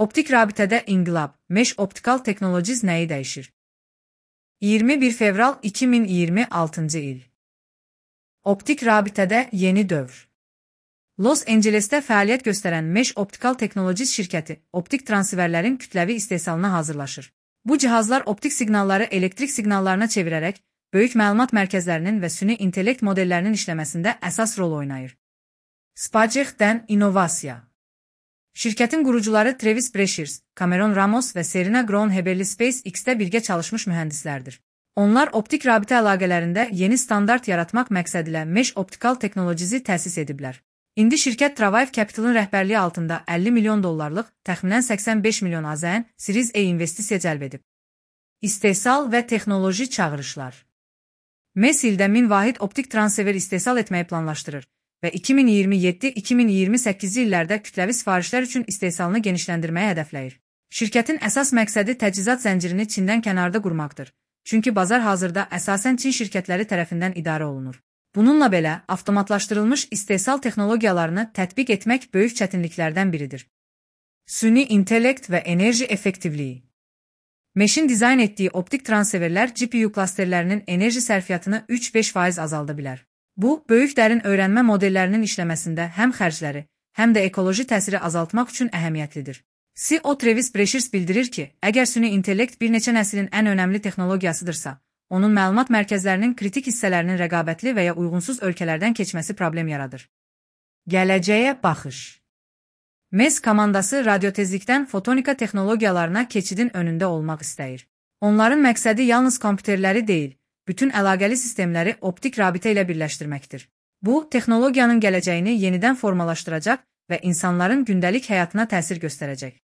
Optik rabitədə inqilab, Mesh Optical Technologies nəyi dəyişir? 21 fevral 2026-cı il. Optik rabitədə yeni dövr. Los Angelesdə fəaliyyət göstərən Mesh Optical Technologies şirkəti optik transferlərin kütləvi istehsalına hazırlaşır. Bu cihazlar optik siqnalları elektrik siqnallarına çevirərək, böyük məlumat mərkəzlərinin və süni intellekt modellərinin işləməsində əsas rol oynayır. SpaceX-dən innovasiya. Şirkətin qurucuları Travis Brashears, Cameron Ramos və Serena Groen-Heberli SpaceX-də birgə çalışmış mühəndislərdir. Onlar optik rabitə əlaqələrində yeni standart yaratmaq məqsədilə Mesh Optical Technologies-i təsis ediblər. İndi şirkət Travaiv Capital'ın rəhbərliyi altında 50 milyon dollarlıq, təxminən 85 milyon AZN Series A investisiya cəlb edib. İstehsal və texnoloji çağırışlar. MES ildə 1000 vahid optik transfer istehsal etməyi planlaşdırır və 2027-2028 illərdə kütləvi sifarişlər üçün istehsalını genişləndirməyi hədəfləyir. Şirkətin əsas məqsədi təchizat zəncirini Çindən kənarda qurmaqdır. Çünki bazar hazırda əsasən Çin şirkətləri tərəfindən idarə olunur. Bununla belə, avtomatlaşdırılmış istehsal texnologiyalarını tətbiq etmək böyük çətinliklərdən biridir. Süni intellekt və enerji effektivliyi. Mesh'in dizayn etdiyi optik transferlər GPU klasterlərinin enerji sərfiyyatını 3-5% azalda bilər. Bu, böyük dərin öyrənmə modellərinin işləməsində həm xərcləri, həm də ekoloji təsiri azaltmaq üçün əhəmiyyətlidir. CEO Travis Brashears bildirir ki, əgər süni intellekt bir neçə nəslin ən önəmli texnologiyasıdırsa, onun məlumat mərkəzlərinin kritik hissələrinin rəqabətli və ya uyğunsuz ölkələrdən keçməsi problem yaradır. Gələcəyə baxış. MES komandası radiotezlikdən fotonika texnologiyalarına keçidin önündə olmaq istəyir. Onların məqsədi yalnız kompüterləri deyil, bütün əlaqəli sistemləri optik rabitə ilə birləşdirməkdir. Bu, texnologiyanın gələcəyini yenidən formalaşdıracaq və insanların gündəlik həyatına təsir göstərəcək.